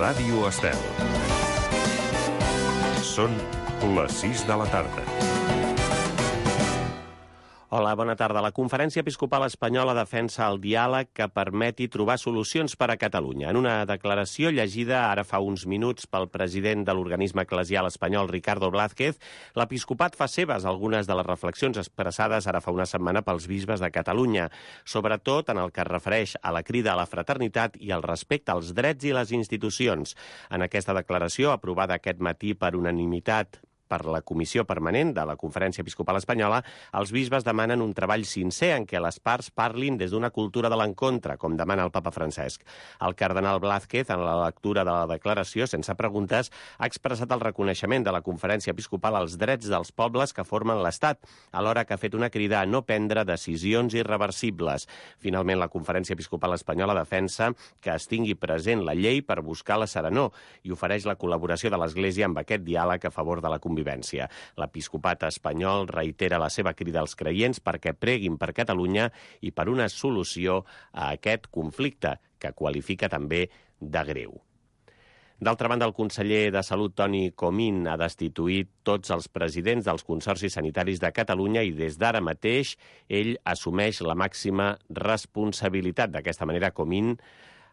Ràdio Estel. Són les 6 de la tarda. Hola, bona tarda. La Conferència Episcopal Espanyola defensa el diàleg que permeti trobar solucions per a Catalunya. En una declaració llegida ara fa uns minuts pel president de l'organisme eclesial espanyol, Ricardo Blázquez, l'episcopat fa seves algunes de les reflexions expressades ara fa una setmana pels bisbes de Catalunya, sobretot en el que es refereix a la crida a la fraternitat i al respecte als drets i les institucions. En aquesta declaració, aprovada aquest matí per unanimitat per la Comissió Permanent de la Conferència Episcopal Espanyola, els bisbes demanen un treball sincer en què les parts parlin des d'una cultura de l'encontre, com demana el papa Francesc. El cardenal Blázquez, en la lectura de la declaració, sense preguntes, ha expressat el reconeixement de la Conferència Episcopal als drets dels pobles que formen l'Estat, alhora que ha fet una crida a no prendre decisions irreversibles. Finalment, la Conferència Episcopal Espanyola defensa que es tingui present la llei per buscar la serenor i ofereix la col·laboració de l'Església amb aquest diàleg a favor de la convivència. L'episcopat espanyol reitera la seva crida als creients perquè preguin per Catalunya i per una solució a aquest conflicte, que qualifica també de greu. D'altra banda, el conseller de Salut, Toni Comín, ha destituït tots els presidents dels consorcis sanitaris de Catalunya i des d'ara mateix ell assumeix la màxima responsabilitat. D'aquesta manera, Comín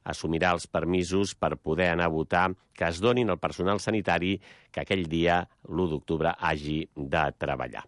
assumirà els permisos per poder anar a votar que es donin al personal sanitari que aquell dia, l'1 d'octubre, hagi de treballar.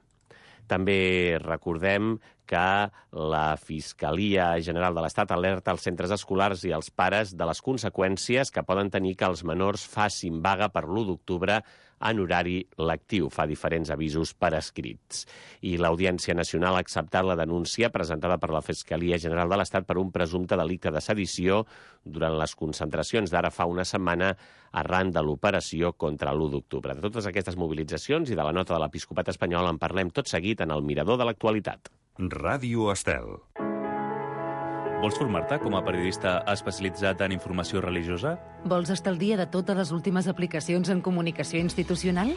També recordem que la Fiscalia General de l'Estat alerta els centres escolars i els pares de les conseqüències que poden tenir que els menors facin vaga per l'1 d'octubre en horari lectiu. Fa diferents avisos per escrits. I l'Audiència Nacional ha acceptat la denúncia presentada per la Fiscalia General de l'Estat per un presumpte delicte de sedició durant les concentracions d'ara fa una setmana arran de l'operació contra l'1 d'octubre. De totes aquestes mobilitzacions i de la nota de l'Episcopat espanyol en parlem tot seguit en el Mirador de l'Actualitat. Ràdio Estel. Vols formar-te com a periodista especialitzat en informació religiosa? Vols estar al dia de totes les últimes aplicacions en comunicació institucional?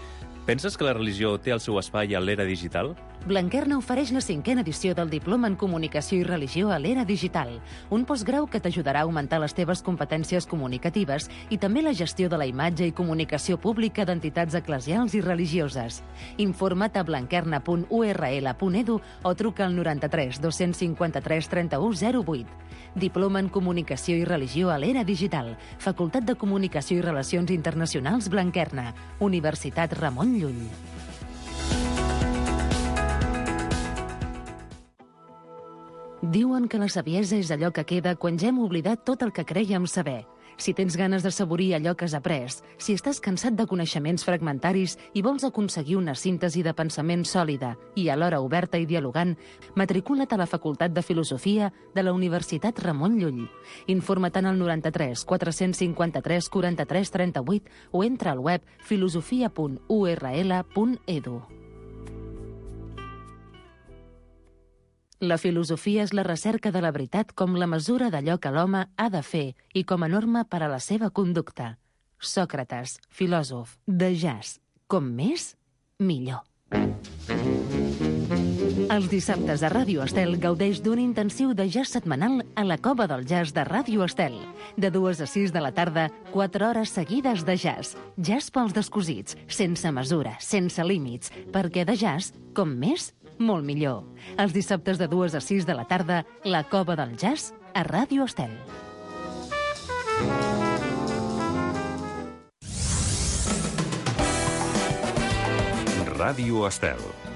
Penses que la religió té el seu espai a l'era digital? Blanquerna ofereix la 5a edició del Diploma en Comunicació i Religió a l'era digital, un postgrau que t'ajudarà a augmentar les teves competències comunicatives i també la gestió de la imatge i comunicació pública d'entitats eclesials i religioses. Informa't a blanquerna.url.edu o truca al 93 253 31 08. Diploma en Comunicació i Religió a l'era digital. Facultat de Comunicació i Relacions Internacionals Blanquerna. Universitat Ramon Llull. Diuen que la saviesa és allò que queda quan ja hem oblidat tot el que crèiem saber. Si tens ganes de saborir allò que has après, si estàs cansat de coneixements fragmentaris i vols aconseguir una síntesi de pensament sòlida i alhora oberta i dialogant, matricula't a la Facultat de Filosofia de la Universitat Ramon Llull. Informa't al 93 453 43 38 o entra al web filosofia.url.edu. La filosofia és la recerca de la veritat com la mesura d'allò que l'home ha de fer i com a norma per a la seva conducta. Sòcrates, filòsof, de jazz. Com més, millor. Els dissabtes a Ràdio Estel gaudeix d'un intensiu de jazz setmanal a la Cova del Jazz de Ràdio Estel. De 2 a 6 de la tarda, 4 hores seguides de jazz. Jazz pels descosits, sense mesura, sense límits, perquè de jazz, com més, molt millor. Els dissabtes de 2 a 6 de la tarda, la Cova del Jazz a Ràdio Estel. Ràdio Estel.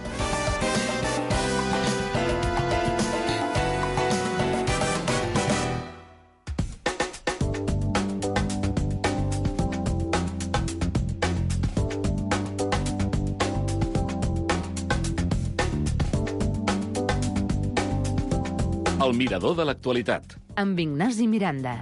El Mirador de l'Actualitat. Amb Ignasi Miranda.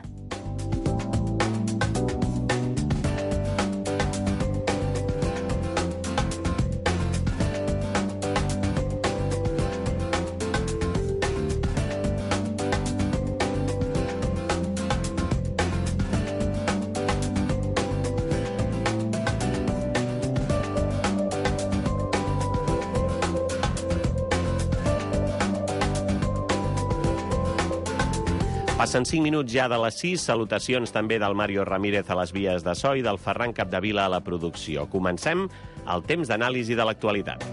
Passen 5 minuts ja de les 6. Salutacions també del Mario Ramírez a les vies de so i del Ferran Capdevila a la producció. Comencem el temps d'anàlisi de l'actualitat.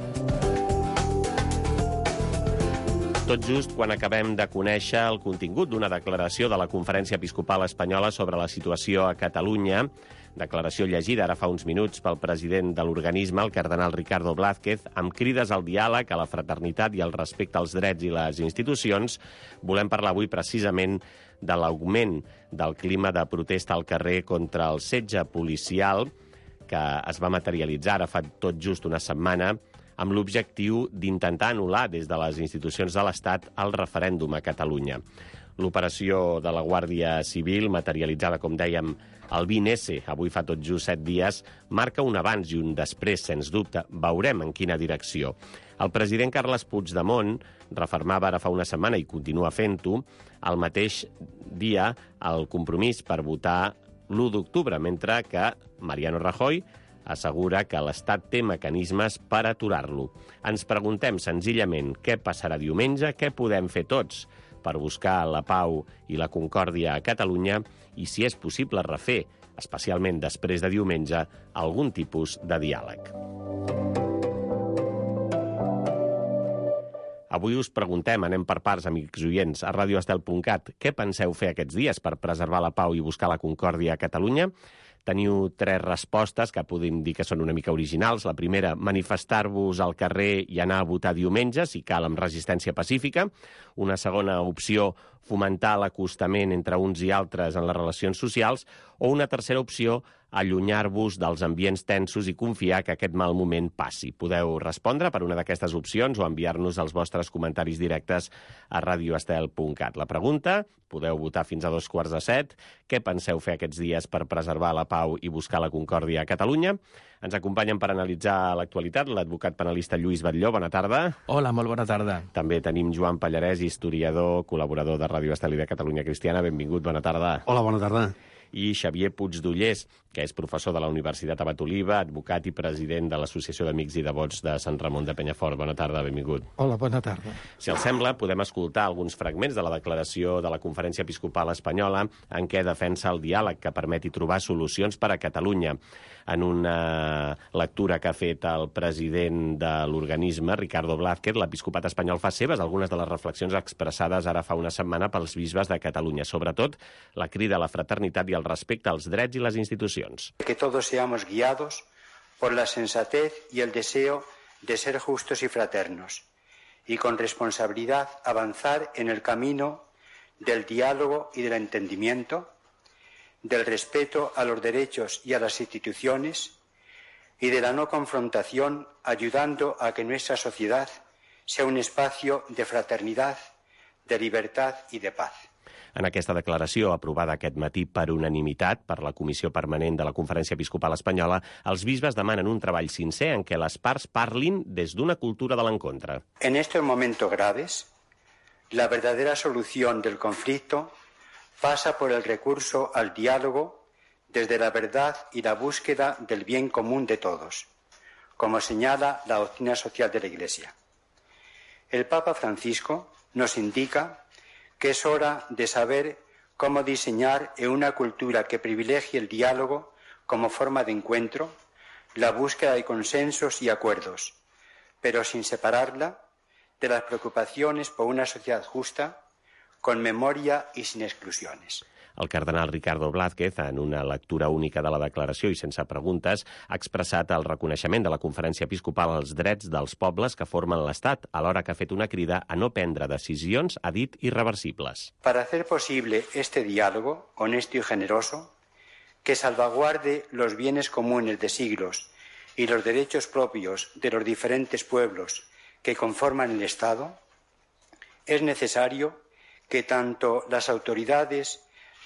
Tot just quan acabem de conèixer el contingut d'una declaració de la Conferència Episcopal Espanyola sobre la situació a Catalunya, declaració llegida ara fa uns minuts pel president de l'organisme, el cardenal Ricardo Blázquez, amb crides al diàleg, a la fraternitat i al respecte als drets i les institucions, volem parlar avui precisament de l'augment del clima de protesta al carrer contra el setge policial que es va materialitzar ara fa tot just una setmana amb l'objectiu d'intentar anul·lar des de les institucions de l'Estat el referèndum a Catalunya. L'operació de la Guàrdia Civil, materialitzada, com dèiem, el 20S, avui fa tot just 7 dies, marca un abans i un després, sens dubte. Veurem en quina direcció. El president Carles Puigdemont refermava ara fa una setmana, i continua fent-ho, el mateix dia el compromís per votar l'1 d'octubre, mentre que Mariano Rajoy assegura que l'Estat té mecanismes per aturar-lo. Ens preguntem senzillament què passarà diumenge, què podem fer tots per buscar la pau i la concòrdia a Catalunya i si és possible refer, especialment després de diumenge, algun tipus de diàleg. Avui us preguntem, anem per parts, amics oients, a radioestel.cat, què penseu fer aquests dies per preservar la pau i buscar la concòrdia a Catalunya? Teniu 3 respostes que podem dir que són una mica originals. La primera, manifestar-vos al carrer i anar a votar diumenge, si cal amb resistència pacífica. Una segona opció, fomentar l'acostament entre uns i altres en les relacions socials. O una tercera opció, allunyar-vos dels ambients tensos i confiar que aquest mal moment passi. Podeu respondre per una d'aquestes opcions o enviar-nos els vostres comentaris directes a radioestel.cat. La pregunta, podeu votar fins a 6:45. Què penseu fer aquests dies per preservar la pau i buscar la concòrdia a Catalunya? Ens acompanyen per analitzar l'actualitat l'advocat penalista Lluís Batlló. Bona tarda. Hola, molt bona tarda. També tenim Joan Pallarès, historiador, col·laborador de Ràdio Estel i de Catalunya Cristiana. Benvingut, bona tarda. Hola, bona tarda. I Xavier Puigdollers, que és professor de la Universitat Abat Oliva, advocat i president de l'Associació d'Amics i Devots de Sant Ramon de Penyafort. Bona tarda, benvingut. Hola, bona tarda. Si els sembla, podem escoltar alguns fragments de la declaració de la Conferència Episcopal Espanyola en què defensa el diàleg que permeti trobar solucions per a Catalunya. En una lectura que ha fet el president de l'organisme, Ricardo Blázquez, l'Episcopat espanyol fa seves algunes de les reflexions expressades ara fa una setmana pels bisbes de Catalunya, sobretot la crida a la fraternitat i al respecte als drets i les institucions. Que todos seamos guiados por la sensatez y el deseo de ser justos y fraternos, y con responsabilidad avanzar en el camino del diálogo y del entendimiento, del respeto a los derechos y a las instituciones y de la no confrontación, ayudando a que nuestra sociedad sea un espacio de fraternidad, de libertad y de paz. En aquesta declaració, aprovada aquest matí per unanimitat per la Comissió Permanent de la Conferència Episcopal Espanyola, els bisbes demanen un treball sincer en què les parts parlin des d'una cultura de l'encontre. En estos momentos graves, la verdadera solución del conflicto pasa por el recurso al diálogo desde la verdad y la búsqueda del bien común de todos, como señala la doctrina social de la Iglesia. El Papa Francisco nos indica que es hora de saber cómo diseñar una cultura que privilegie el diálogo como forma de encuentro, la búsqueda de consensos y acuerdos, pero sin separarla de las preocupaciones por una sociedad justa, con memoria y sin exclusiones. El cardenal Ricardo Blázquez, en una lectura única de la declaració i sense preguntes, ha expressat el reconeixement de la Conferència Episcopal als drets dels pobles que formen l'Estat, alhora que ha fet una crida a no prendre decisions, ha dit, irreversibles. Para hacer posible este diálogo honesto y generoso, que salvaguarde los bienes comunes de siglos y los derechos propios de los diferentes pueblos que conforman el Estado, es necesario que tanto las autoridades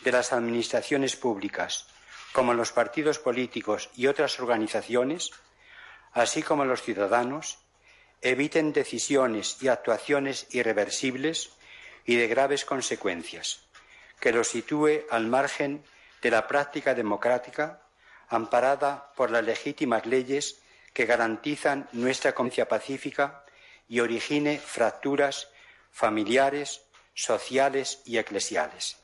de las administraciones públicas como los partidos políticos y otras organizaciones, así como los ciudadanos, eviten decisiones y actuaciones irreversibles y de graves consecuencias, que los sitúe al margen de la práctica democrática amparada por las legítimas leyes que garantizan nuestra convivencia pacífica y origine fracturas familiares, sociales y eclesiales.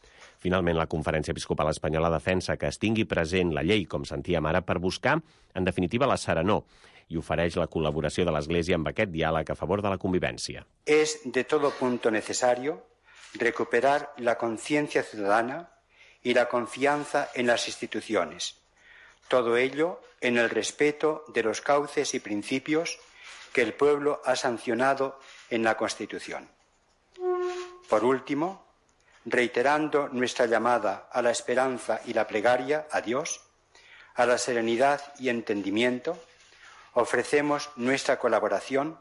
Finalment, la Conferència Episcopal Espanyola defensa que es tingui present la llei, com sentíem ara, per buscar, en definitiva, la serenor, i ofereix la col·laboració de l'Església amb aquest diàleg a favor de la convivència. Es de todo punto necesario recuperar la conciencia ciudadana y la confianza en las instituciones. Todo ello en el respeto de los cauces y principios que el pueblo ha sancionado en la Constitución. Por último, reiterando nuestra llamada a la esperanza y la plegaria a Dios, a la serenidad y entendimiento, ofrecemos nuestra colaboración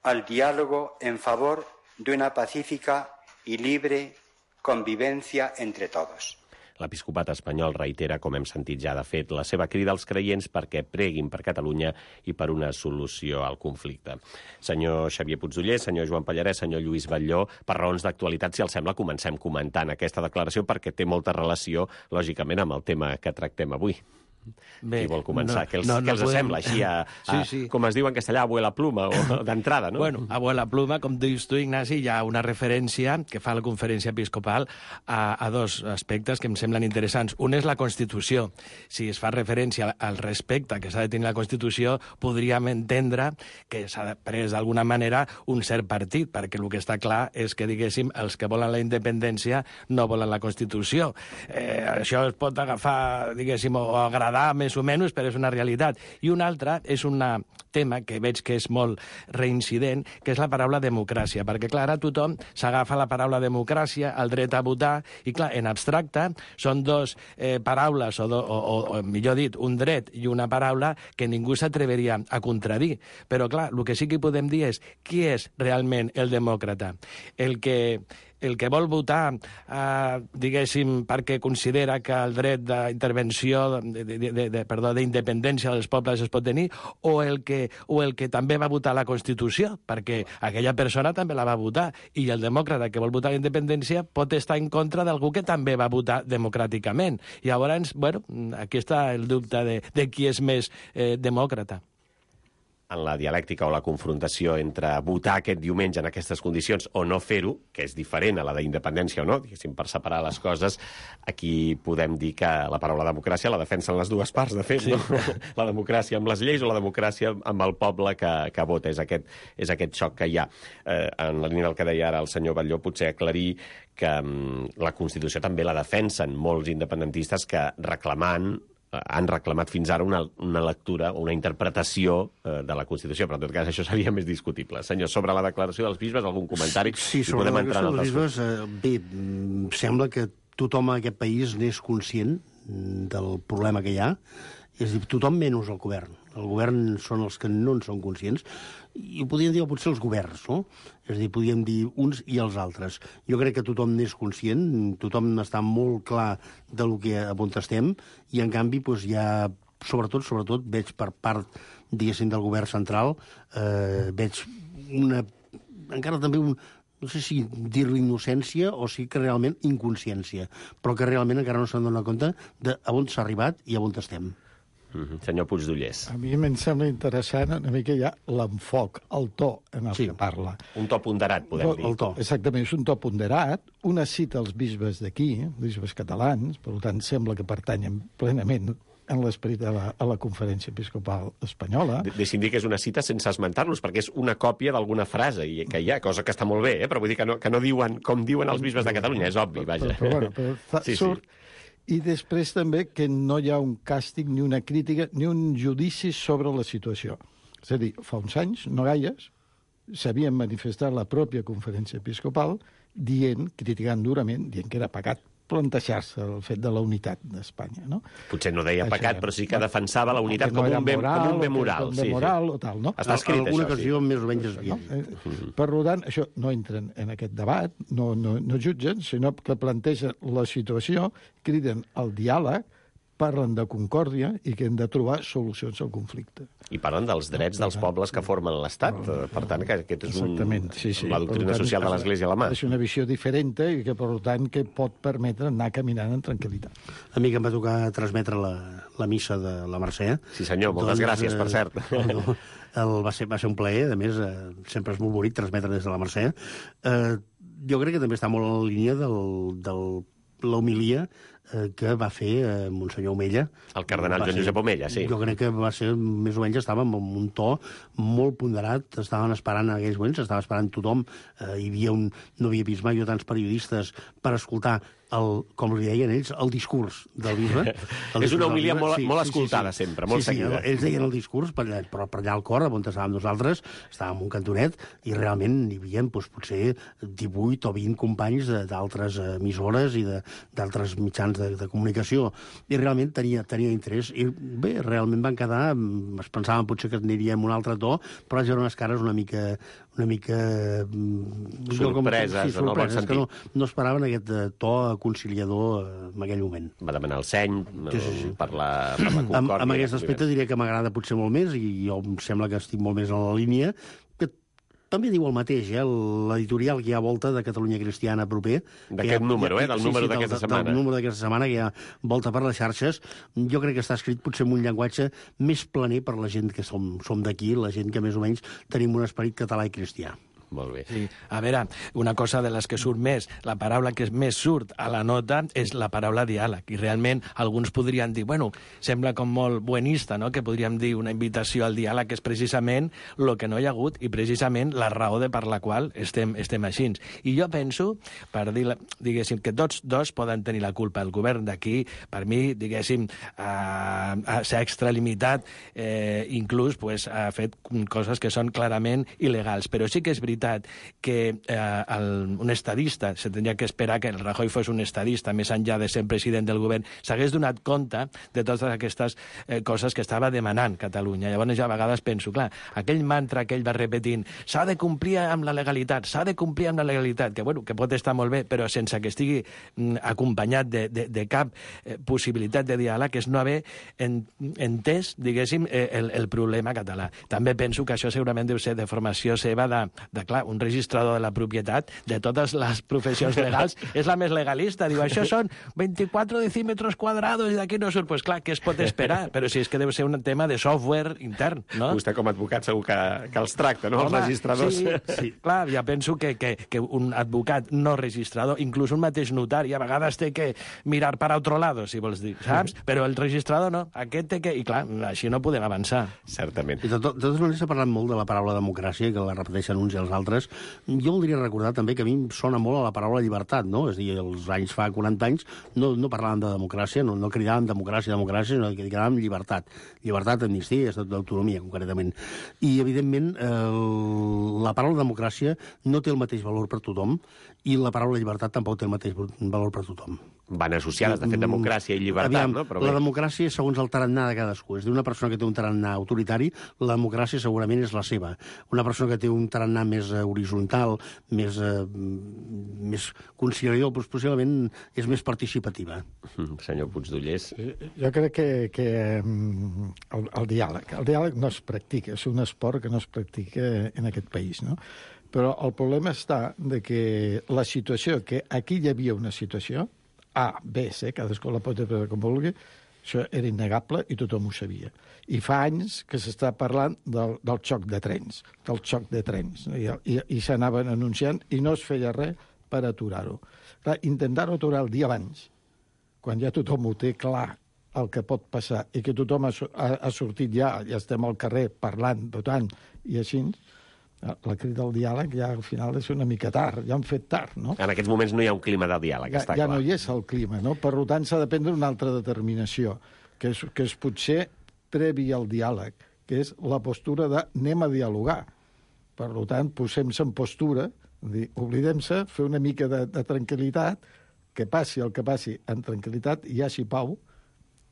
al diálogo en favor de una pacífica y libre convivencia entre todos. L'episcopat espanyol reitera, com hem sentit ja de fet, la seva crida als creients perquè preguin per Catalunya i per una solució al conflicte. Senyor Xavier Puigdoller, senyor Joan Pallarès, senyor Lluís Batlló, per raons d'actualitat, si els sembla, comencem comentant aquesta declaració perquè té molta relació, lògicament, amb el tema que tractem avui. Bé, qui vol començar? Què els sembla? Així, sí. Com es diu en castellà, abuela pluma, o d'entrada, no? Bueno, abuela pluma, com dius tu, Ignasi, hi ha una referència que fa la Conferència Episcopal a dos aspectes que em semblen interessants. Un és la Constitució. Si es fa referència al respecte que s'ha de tenir la Constitució, podríem entendre que s'ha pres d'alguna manera un cert partit, perquè el que està clar és que, diguéssim, els que volen la independència no volen la Constitució. Això es pot agafar, diguéssim, o agradar més o menys, però és una realitat. I un altre és un tema que veig que és molt reincident, que és la paraula democràcia, perquè, clar, ara tothom s'agafa la paraula democràcia, el dret a votar, i, clar, en abstracte són dos paraules, o millor dit, un dret i una paraula que ningú s'atreveria a contradir. Però, clar, el que sí que podem dir és qui és realment el demòcrata? El que vol votar, diguéssim, perquè considera que el dret d'intervenció, d'independència dels pobles es pot tenir, o el que també va votar la Constitució, perquè aquella persona també la va votar, i el demòcrata que vol votar la independència pot estar en contra d'algú que també va votar democràticament. I llavors, bueno, aquí està el dubte de qui és més demòcrata. En la dialèctica o la confrontació entre votar aquest diumenge en aquestes condicions o no fer-ho, que és diferent a la d'independència o no, diguéssim, per separar les coses, aquí podem dir que la paraula democràcia la defensen les dues parts, de fet, sí. No? La democràcia amb les lleis o la democràcia amb el poble que vota. És aquest xoc que hi ha. En la línia del que deia ara el senyor Batlló, potser aclarir que la Constitució també la defensen molts independentistes que han reclamat fins ara una lectura o una interpretació de la Constitució, però en tot cas això seria més discutible. Senyor, sobre la declaració dels bisbes, algun comentari? Sí, sobre la declaració dels bisbes, bé, sembla que tothom en aquest país n'és conscient del problema que hi ha, és a dir, tothom menys el govern. El govern són els que no en són conscients, i ho podríem dir potser els governs, no? És a dir, podríem dir uns i els altres. Jo crec que tothom n'és conscient, tothom està molt clar del que a on estem, i en canvi doncs, hi ha, sobretot veig per part, diguéssim, del govern central, veig encara també no sé si dir-li innocència o sí que realment inconsciència, però que realment encara no s'han donat compte de on s'ha arribat i on estem. Senyor Puigdollers. A mi em sembla interessant una mica ja l'enfoc, el to en el que parla. Un to ponderat, podem dir. El to. Exactament, és un to ponderat. Una cita als bisbes d'aquí, bisbes catalans, per tant sembla que pertanyen plenament en l'esperit a la Conferència Episcopal Espanyola. Deixi'm dir que és una cita sense esmentar-los, perquè és una còpia d'alguna frase que hi ha, cosa que està molt bé, però vull dir que no diuen com diuen els bisbes de Catalunya, és obvi, vaja. Però surt. I després també que no hi ha un càstig, ni una crítica, ni un judici sobre la situació. És a dir, fa uns anys, no gaires, s'havien manifestat la pròpia Conferència Episcopal criticant durament, dient que era pecat plantejar-se el fet de la unitat d'Espanya, no? Potser no deia pecat, però sí que defensava la unitat com un bé moral. Com un bé moral o tal, no? Està escrit, això, alguna ocasió més o menys desviat. Per tant, això no entren en aquest debat, no jutgen, sinó que plantegen la situació, criden al diàleg, parlen de concòrdia i que hem de trobar solucions al conflicte. I parlen dels drets dels pobles que formen l'Estat. Per tant, que aquest és la doctrina social de l'Església a la mà. És una visió diferent i que, per tant, que pot permetre anar caminant en tranquil·litat. A mi que em va tocar transmetre la missa de la Mercè. Sí, senyor, moltes gràcies, per cert. Va ser un plaer, a més, sempre és molt bonic transmetre des de la Mercè. jo crec que també està molt en la línia de l'homilia que va fer Monsenyor Omella. El cardenal Joan Josep Omella, sí. Jo crec que va ser, més o menys, estàvem amb un to molt ponderat, estaven esperant en aquells moments, estava esperant tothom, no havia vist mai tants periodistes per escoltar com li deien ells, el discurs del bisbe. És una homilia molt escoltada sempre, molt seguida. Ells deien el discurs, però per allà al cor, on estàvem nosaltres, estàvem un cantonet, i realment hi havia potser 18 o 20 companys d'altres emissores i d'altres mitjans de comunicació. I realment tenia interès. I bé, realment van quedar, es pensaven potser que aniríem un altre to, però vaig veure unes cares una mica sorpreses, en el bon sentit. Que no esperaven aquest to conciliador en aquell moment. Va demanar el seny per la concòrdia. Amb aquest aspecte diré que m'agrada potser molt més, i jo em sembla que estic molt més en la línia, que també diu el mateix, l'editorial que hi ha a volta de Catalunya Cristiana proper. D'aquest número, del número d'aquesta setmana. Del número d'aquesta setmana, que hi ha volta per les xarxes. Jo crec que està escrit potser amb un llenguatge més planer per la gent que som d'aquí, la gent que més o menys tenim un esperit català i cristià. Molt bé. Sí. A veure, una cosa de les que surt més, la paraula que més surt a la nota és la paraula diàleg. I realment alguns podrien dir, bueno, sembla com molt buenista, no?, que podríem dir una invitació al diàleg, que és precisament el que no hi ha hagut i precisament la raó per la qual estem així. I jo penso, per dir, diguéssim, que tots dos poden tenir la culpa. El govern d'aquí, per mi, diguéssim, s'ha extralimitat, inclús ha fet coses que són clarament il·legals. Però sí que és veritat que un estadista, se tindria que esperar que el Rajoy fos un estadista, més enllà de ser president del govern, s'hagués donat compte de totes aquestes coses que estava demanant Catalunya. Llavors jo a vegades penso, clar, aquell mantra que ell va repetint, s'ha de complir amb la legalitat, s'ha de complir amb la legalitat, que pot estar molt bé, però sense que estigui acompanyat de cap possibilitat de diàleg, és no haver entès, diguéssim, el problema català. També penso que això segurament deu ser de formació seva clar, un registrador de la propietat de totes les professions legals és la més legalista. Diu, això són 24 decímetres quadrados i d'aquí no surt. Pues clar, què es pot esperar? Però si és que deu ser un tema de software intern, no? Vostè com a advocat segur que els tracta, no? Els registradors. Sí. Clar, ja penso que un advocat no registrador, inclús un mateix notari, a vegades té que mirar per altre lado, si vols dir, saps? Però el registrador no. Aquest té que... I clar, així no podem avançar. Certament. I de totes maneres s'ha parlat molt de la paraula democràcia, que la repeteixen uns i els altres. Jo voldria recordar també que a mi em sona molt a la paraula llibertat, no? És a dir, els anys fa 40 anys no parlàvem de democràcia, no cridàvem democràcia, sinó que cridàvem llibertat. Llibertat, amnistia i estat d'autonomia, concretament. I, evidentment, la paraula democràcia no té el mateix valor per tothom i la paraula llibertat tampoc té el mateix valor per tothom. Van associades, de fet, democràcia i llibertat, no? Però la democràcia, segons el tarannà de cadascú. És a dir, una persona que té un tarannà autoritari, la democràcia segurament és la seva. Una persona que té un tarannà més horitzontal, més conciliador, doncs possiblement és més participativa. Senyor Puigdollers. Jo crec que el diàleg no es practica, és un esport que no es practica en aquest país, no? Però el problema està de que la situació, que aquí hi havia una situació, A, B, C, cadascú la pot interpretar com vulgui, això era innegable i tothom ho sabia. I fa anys que s'està parlant del xoc de trens, i s'anaven anunciant i no es feia res per aturar-ho. Clar, intentar-ho aturar el dia abans, quan ja tothom ho té clar el que pot passar i que tothom ha sortit ja estem al carrer parlant, votant i així, la crida al diàleg ja al final és una mica tard, ja han fet tard, no? En aquests moments no hi ha un clima de diàleg, està clar. Ja no hi és el clima, no? Per tant, s'ha de prendre una altra determinació, que és potser previ al diàleg, que és la postura de anem a dialogar. Per tant, posem-se en postura, oblidem-se, fer una mica de tranquil·litat, que passi el que passi en tranquil·litat, hi hagi pau,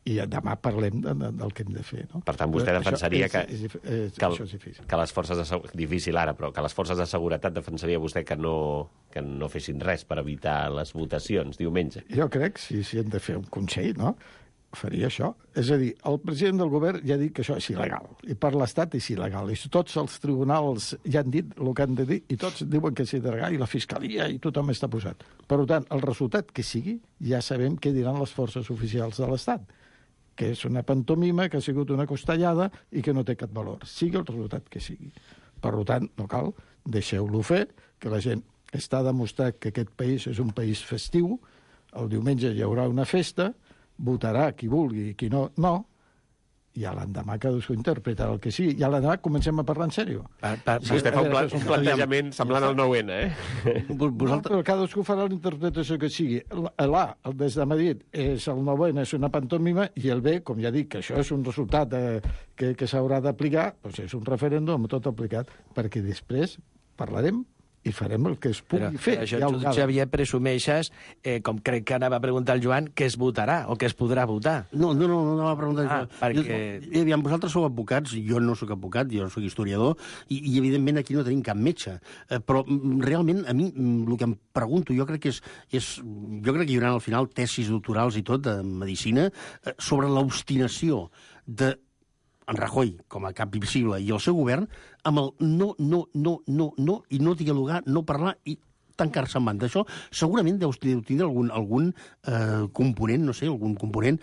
i demà parlem del que hem de fer, no? Per tant, vostè defensaria que això és difícil. Que les forces de difícil ara, però que les forces de seguretat defensaria vostè que no fessin res per evitar les votacions diumenge. Jo crec, si hem de fer un consell, no?, faria això. És a dir, el president del govern ja ha dit que això és il·legal, i per l'Estat és il·legal, i tots els tribunals ja han dit el que han de dir, i tots diuen que és il·legal, i la Fiscalia, i tothom està posat. Per tant, el resultat que sigui, ja sabem què diran les forces oficials de l'Estat, que és una pantomima, que ha sigut una costellada i que no té cap valor, sigui el resultat que sigui. Per tant, no cal, deixeu-lo fer, que la gent està demostrat que aquest país és un país festiu, el diumenge hi haurà una festa, votarà qui vulgui i qui no, i a l'endemà cadascú interpretarà el que sigui. I a l'endemà comencem a parlar en sèrio. Vostè fa un plantejament semblant al 9-N, Però cadascú farà la interpretació que sigui. L'A, el des de Madrid, és el 9-N, és una pantomima, i el B, com ja dic, que això és un resultat que s'haurà d'aplicar, doncs és un referèndum tot aplicat, perquè després parlarem i farem el que es pugui fer. Però això tu, Xavier, presumeixes, com crec que anava a preguntar el Joan, que es votarà o que es podrà votar. No va preguntar això. Perquè... Aviam, vosaltres sou advocats, jo no sóc advocat, jo sóc historiador, i evidentment aquí no tenim cap metge. Però realment, a mi, el que em pregunto, jo crec que jo crec que hi haurà al final tesis doctorals i tot de medicina sobre l'obstinació de en Rajoy, com a cap visible, i el seu govern, amb el no, i no dialogar, no parlar, i tancar-se en banda. Això segurament deu tindre algun component, no sé, algun component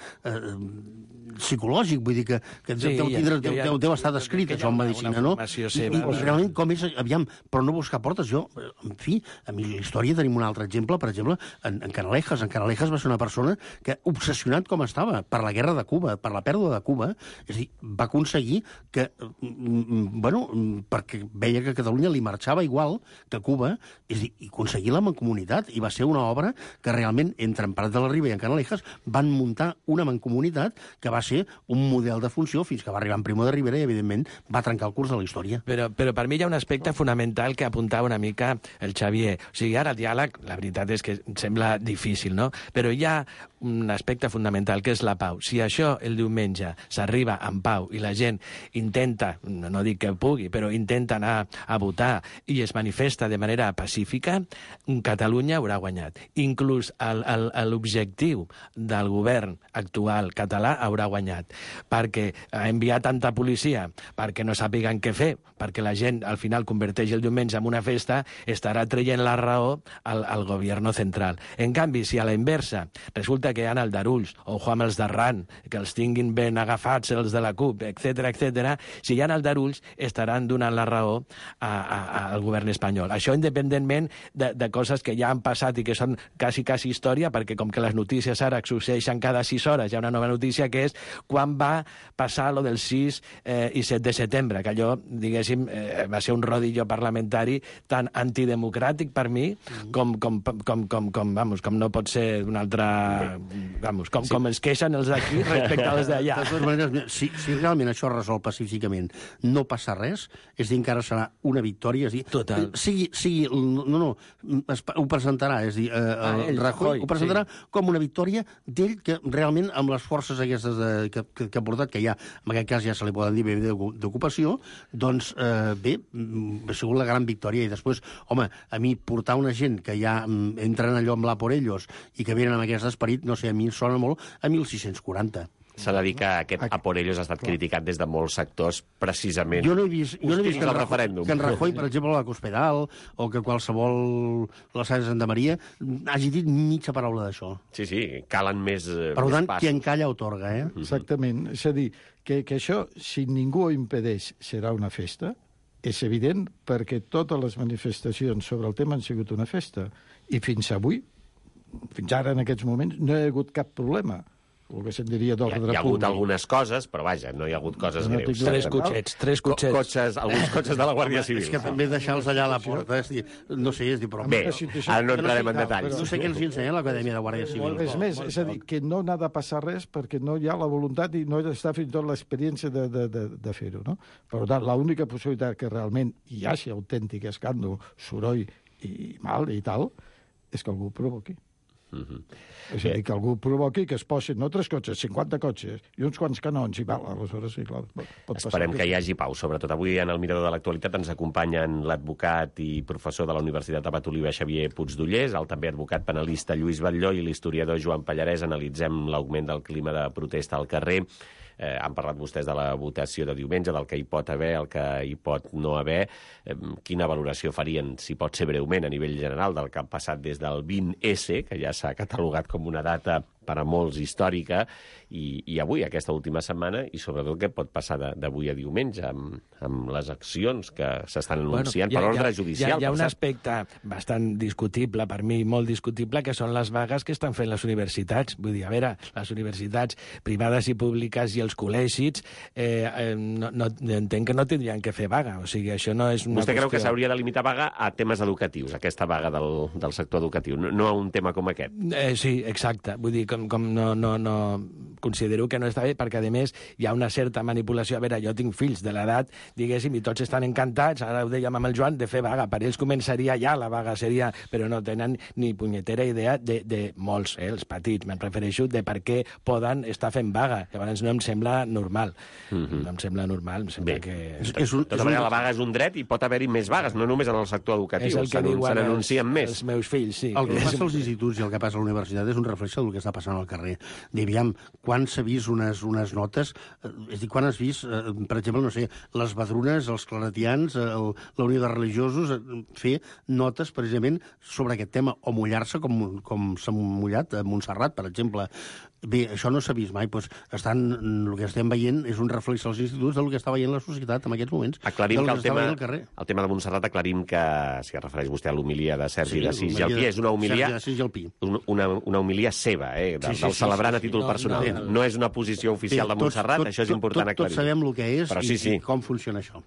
psicològic, vull dir que deu estar descrit, això en medicina, no? I realment com és, aviam, però no buscar portes. Jo, en fi, a mi la història tenim un altre exemple, per exemple, en Canalejas. En Canalejas va ser una persona que, obsessionat com estava per la guerra de Cuba, per la pèrdua de Cuba, és a dir, va aconseguir que, bueno, perquè veia que a Catalunya li marxava igual que a Cuba, és a dir, i aconseguir la mancomunitat, i va ser una obra que realment, entre en Prat de la Riba i en Canalejas, van muntar una mancomunitat que va ser un model de funció fins que va arribar en Primo de Rivera i, evidentment, va trencar el curs de la història. Però per mi hi ha un aspecte fonamental que apuntava una mica el Xavier. O sigui, ara el diàleg, la veritat és que sembla difícil, no? Però hi ha un aspecte fonamental, que és la pau. Si això el diumenge s'arriba en pau i la gent intenta, no dic que pugui, però intenta anar a votar i es manifesta de manera pacífica, Catalunya haurà guanyat. Inclús l'objectiu del govern actual català haurà guanyat, perquè ha enviat tanta policia perquè no sàpiguen què fer, perquè la gent al final converteix el diumenge en una festa, estarà traient la raó al govern central. En canvi, si a la inversa resulta que hi ha aldarulls, o amb els d'arran, que els tinguin ben agafats els de la CUP, etc., si hi ha aldarulls, estaran donant la raó al govern espanyol. Això independentment de coses que ja han passat i que són quasi història, perquè com que les notícies ara succeeixen cada 6 hores, hi ha una nova notícia que és quan va passar lo del 6 i 7 de setembre, que allò, diguéssim, va ser un rodillo parlamentari tan antidemocràtic per mi com no pot ser d'un altre... Com es queixen els d'aquí respecte als d'allà. De totes maneres, si realment això es resol pacíficament, no passa res, és a dir, encara serà una victòria, és a dir... Total. Ho presentarà, és a dir, Rajoy ho presentarà com una victòria d'ell, que realment amb les forces aquestes que ha portat, que ja, en aquest cas ja se li poden dir bé d'ocupació, doncs bé, ha sigut la gran victòria. I després, home, a mi portar una gent que ja entren allò amb la por ellos i que venen amb aquest esperit, no sé, a mi em sona molt a 1640. S'ha de dir que aquest a por ellos ha estat criticat des de molts sectors, precisament. Jo no he vist que en Rajoy, per exemple, la Cospedal, o que qualsevol la Sala de Santa Maria hagi dit mitja paraula d'això. Sí, calen més passos. Per tant, qui encalla otorga, eh? Exactament. És a dir, que això, si ningú ho impedeix, serà una festa, és evident, perquè totes les manifestacions sobre el tema han sigut una festa. I fins avui, fins ara en aquests moments, no hi ha hagut cap problema. El que se'n diria d'ordre públic. Hi ha hagut algunes coses, però vaja, no hi ha hagut coses greus. Tres cotxets. Alguns cotxes de la Guàrdia Civil. És que també deixar-los allà a la porta, no sé, és dir, però... Bé, ara no entrarem en detalls. No sé què els ensenya l'Acadèmia de Guàrdia Civil. És més, és a dir, que no n'ha de passar res perquè no hi ha la voluntat i no està fins i tot l'experiència de fer-ho, no? Per tant, l'única possibilitat que realment hi hagi autèntic escàndol, soroll i mal i tal, és que algú ho provoqui. És a dir, que algú provoqui que es posin, no 3 cotxes, 50 cotxes i uns quants canons, i val, aleshores sí, clar, pot passar. Esperem que hi hagi pau. Sobretot avui en el Mirador de l'Actualitat ens acompanyen l'advocat i professor de la Universitat de Patoliva, Xavier Puigdollers, el també advocat penalista Lluís Batlló i l'historiador Joan Pallarès. Analitzem l'augment del clima de protesta al carrer. Han parlat vostès de la votació de diumenge, del que hi pot haver, el que hi pot no haver. Quina valoració farien, si pot ser breument, a nivell general, del que ha passat des del 20S, que ja s'ha catalogat com una data per a molts històrica, i avui, aquesta última setmana, i sobretot què pot passar d'avui a diumenge, amb les accions que s'estan anunciant per ordre judicial. Hi ha un aspecte bastant discutible, per mi molt discutible, que són les vagues que estan fent les universitats. Vull dir, a veure, les universitats privades i públiques i els col·legis entenc que no tindrien que fer vaga. O sigui, això no és una Vostè creu que qüestió... s'hauria de limitar vaga a temes educatius, aquesta vaga del sector educatiu, no a un tema com aquest? Sí, exacte. Vull dir, com no considero que no està bé, perquè, a més, hi ha una certa manipulació. A veure, jo tinc fills de l'edat, diguéssim, i tots estan encantats, ara ho dèiem amb el Joan, de fer vaga. Per ells començaria ja la vaga, seria... Però no tenen ni punyetera idea de molts, els petits, me'n refereixo, de per què poden estar fent vaga. Llavors no em sembla normal. No em sembla normal, em sembla que... De tota manera, la vaga és un dret i pot haver-hi més vagues, no només en el sector educatiu. És el que diuen se n'anuncien més. Els meus fills, sí. El que passa als instituts i el que passa a la universitat és un reflex del que està passant al carrer. Diríem, quan s'ha vist unes notes... És a dir, quan has vist, per exemple, no sé, les badrunes, els claretians, la Unió de Religiosos, fer notes, precisament, sobre aquest tema, o mullar-se com s'ha mullat a Montserrat, per exemple. Bé, això no s'ha vist mai. Doncs el que estem veient és un reflex als instituts del que està veient la societat en aquests moments. Aclarim que el tema de Montserrat, aclarim que, si es refereix vostè a l'homilia de Sergi de Sis i el Pi, és una homilia... Una homilia seva, del celebrant a títol personal. No és una posició oficial de Montserrat, això és important aclarir. Tots sabem el que és i com funciona això.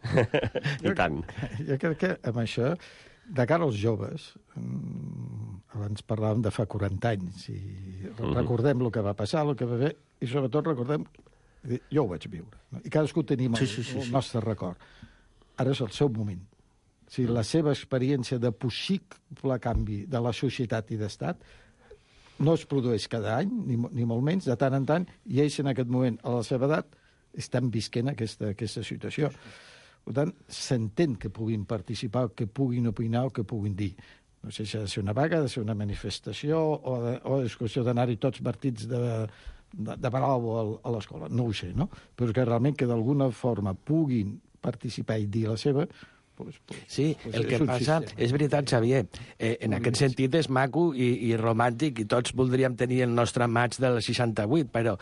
I tant. Jo crec que amb això, de cara als joves, abans parlàvem de fa 40 anys, i recordem el que va passar, el que va fer, i sobretot recordem... Jo ho vaig viure, no? I cadascú tenim el nostre record. Ara és el seu moment. Si la seva experiència de possible canvi de la societat i d'estat no es produeix cada any, ni molt menys, de tant en tant, i ells en aquest moment, a la seva edat, estan visquent aquesta situació. Per tant, s'entén que puguin participar, que puguin opinar o que puguin dir. No sé si ha de ser una vaga, ha de ser una manifestació, o és qüestió d'anar-hi tots partits de palau a l'escola. No ho sé, no? Però que realment que d'alguna forma puguin participar i dir la seva... Sí, el que passa... És veritat, Xavier, en aquest sentit és maco i romàntic, i tots voldríem tenir el nostre maig del 68, però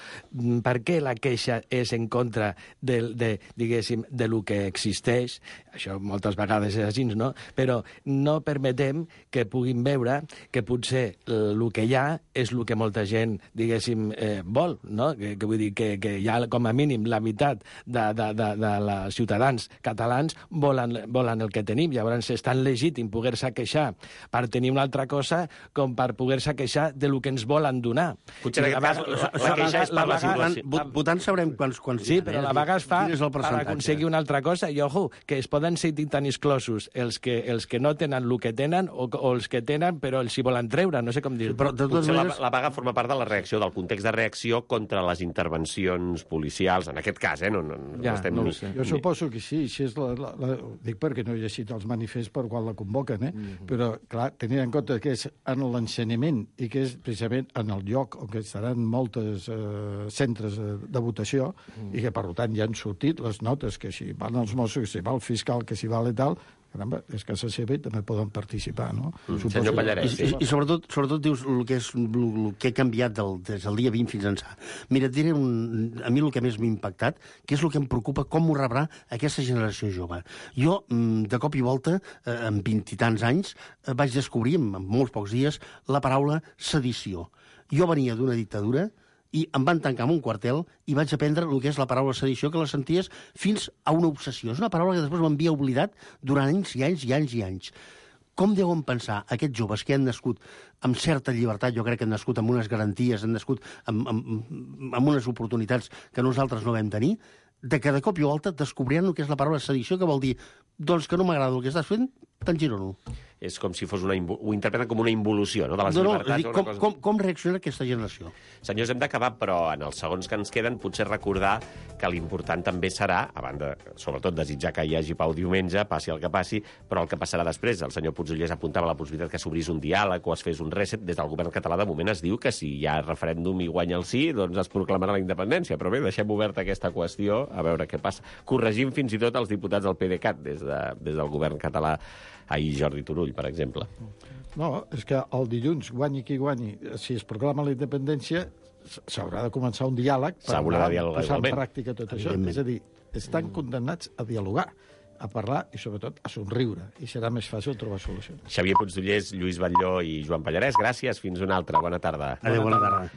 per què la queixa és en contra diguéssim, de lo que existeix? Això moltes vegades és així, no? Però no permetem que puguin veure que potser el que hi ha és el que molta gent, diguéssim, vol, no? Que vull dir que hi ha, com a mínim, la meitat de ciutadans catalans volen el que tenim. Llavors és tan legítim poder-se queixar per tenir una altra cosa com per poder-se queixar de lo que ens volen donar. Potser en aquest cas la queixa és per la situació. Votant sabrem quants... Sí, però la vaga es fa per aconseguir una altra cosa, i ojo, que es poden sentir tan exclosos els que no tenen el que tenen o els que tenen però els hi volen treure, no sé com dir-ho. Potser la vaga forma part de la reacció, del context de reacció contra les intervencions policials, en aquest cas, no ho sé. Jo suposo que sí, dic perquè no he llegit els manifests per qual la convoquen, però, clar, tenint en compte que és en l'ensenyament i que és precisament en el lloc on estaran molts centres de votació i que, per tant, ja han sortit les notes que si van els Mossos, que si va el fiscal, que si va i tal, caramba, és que a casa seva també poden participar, no? Senyor Pallarès. I sobretot dius el que ha canviat des del dia 20 fins ençà. Mira, et diré a mi el que més m'ha impactat, que és el que em preocupa, com ho rebrà aquesta generació jove. Jo, de cop i volta, amb 20 i tants anys, vaig descobrir, en molts pocs dies, la paraula sedició. Jo venia d'una dictadura i em van tancar en un quartel i vaig aprendre el que és la paraula sedició, que la senties fins a una obsessió. És una paraula que després m'havia oblidat durant anys i anys i anys i anys. Com deuen pensar aquests joves que han nascut amb certa llibertat, jo crec que han nascut amb unes garanties, han nascut amb unes oportunitats que nosaltres no vam tenir, de que de cop i volta descobriran el que és la paraula sedició, que vol dir, doncs que no m'agrada el que estàs fent, t'engiro-no. És com si fos ho interpreten com una involució, no?, de les llibertats. Com reacciona aquesta generació? Senyors, hem d'acabar, però en els segons que ens queden potser recordar que l'important també serà, a banda, sobretot, desitjar que hi hagi pau diumenge, passi el que passi, però el que passarà després. El senyor Puigdollers apuntava la possibilitat que s'obrís un diàleg o es fes un reset. Des del govern català, de moment, es diu que si hi ha referèndum i guanya el sí, doncs es proclamarà la independència. Però bé, deixem oberta aquesta qüestió, a veure què passa. Corregim fins i tot els diputats del PDeCAT des del govern català. Ahir Jordi Turull, per exemple. No, és que el dilluns, guanyi qui guanyi, si es proclama la independència, s'haurà de començar un diàleg per posar en pràctica tot això. És a dir, estan condemnats a dialogar, a parlar i, sobretot, a somriure. I serà més fàcil trobar solucions. Xavier Puigdollers, Lluís Batlló i Joan Pallarès, gràcies. Fins una altra. Bona tarda. Adéu, bona tarda.